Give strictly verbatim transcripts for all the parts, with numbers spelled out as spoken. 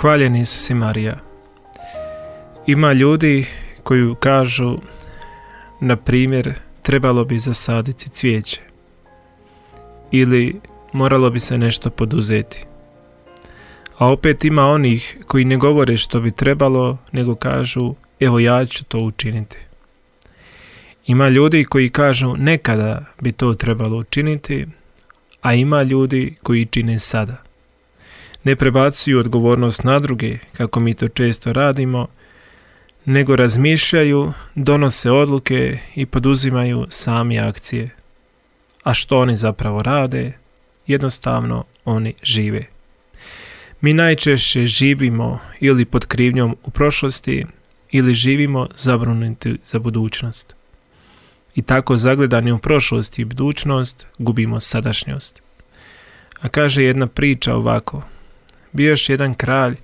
Hvaljen Isus i Marija. Ima ljudi koji kažu, na primjer, trebalo bi zasaditi cvijeće ili moralo bi se nešto poduzeti. A opet ima onih koji ne govore što bi trebalo, nego kažu, evo ja ću to učiniti. Ima ljudi koji kažu nekada bi to trebalo učiniti, a ima ljudi koji čine sada. Ne prebacuju odgovornost na druge, kako mi to često radimo, nego razmišljaju, donose odluke i poduzimaju sami akcije. A što oni zapravo rade? Jednostavno oni žive. Mi najčešće živimo ili pod krivnjom u prošlosti ili živimo zabrinuti za budućnost. I tako zagledani u prošlost i budućnost gubimo sadašnjost. A kaže jedna priča ovako. Bio još jedan kralj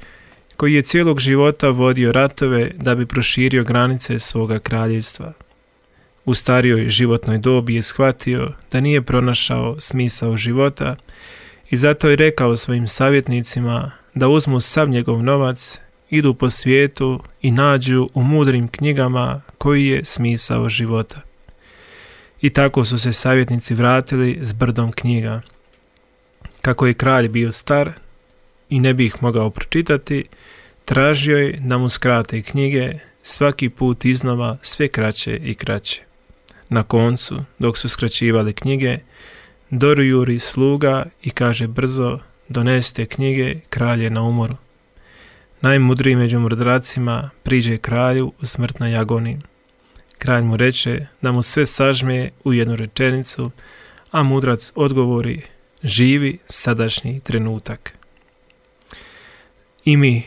koji je cijelog života vodio ratove da bi proširio granice svoga kraljevstva. U starijoj životnoj dobi je shvatio da nije pronašao smisao života i zato je rekao svojim savjetnicima da uzmu sav njegov novac, idu po svijetu i nađu u mudrim knjigama koji je smisao života. I tako su se savjetnici vratili s brdom knjiga. Kako je kralj bio star i ne bi ih mogao pročitati, tražio je da mu skrate knjige, svaki put iznova sve kraće i kraće. Na koncu, dok su skraćivali knjige, dorujuri sluga i kaže brzo, donesite knjige, kralj je na umoru. Najmudriji među mudracima priđe kralju u smrtnoj agoniji. Kralj mu reče da mu sve sažme u jednu rečenicu, a mudrac odgovori, živi sadašnji trenutak. I mi,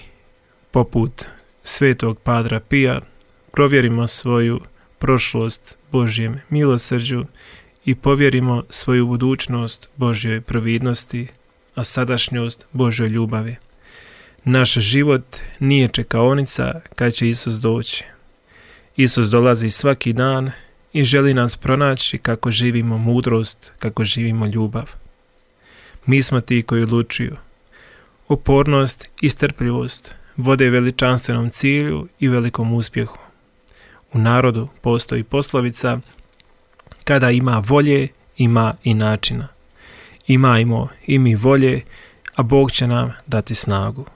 poput svetog Padra Pija, provjerimo svoju prošlost Božjem milosrđu i povjerimo svoju budućnost Božjoj providnosti, a sadašnjost Božjoj ljubavi. Naš život nije čekaonica kad će Isus doći. Isus dolazi svaki dan i želi nas pronaći kako živimo mudrost, kako živimo ljubav. Mi smo ti koji odlučuju. Upornost i strpljivost vode veličanstvenom cilju i velikom uspjehu. U narodu postoji poslovica, kada ima volje, ima i načina. Imajmo i mi volje, a Bog će nam dati snagu.